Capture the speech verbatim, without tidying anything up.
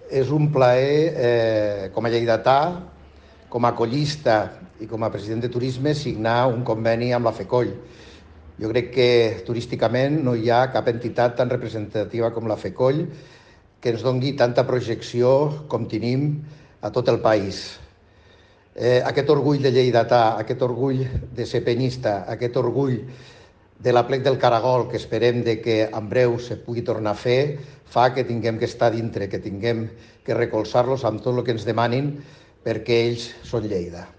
És un plaer, eh, com a lleidatà, com a collista i com a president de turisme, signar un conveni amb la FECOLL. Jo crec que turísticament no hi ha cap entitat tan representativa com la FECOLL que ens doni tanta projecció com tenim a tot el país. Eh, aquest orgull de lleidatà, aquest orgull de ser penyista, aquest orgull de l'Aplec del Caragol, que esperem de que en breu se pugui tornar a fer, fa que tinguem que estar dintre, que tinguem que recolzar-los amb tot el que ens demanin, perquè ells són Lleida.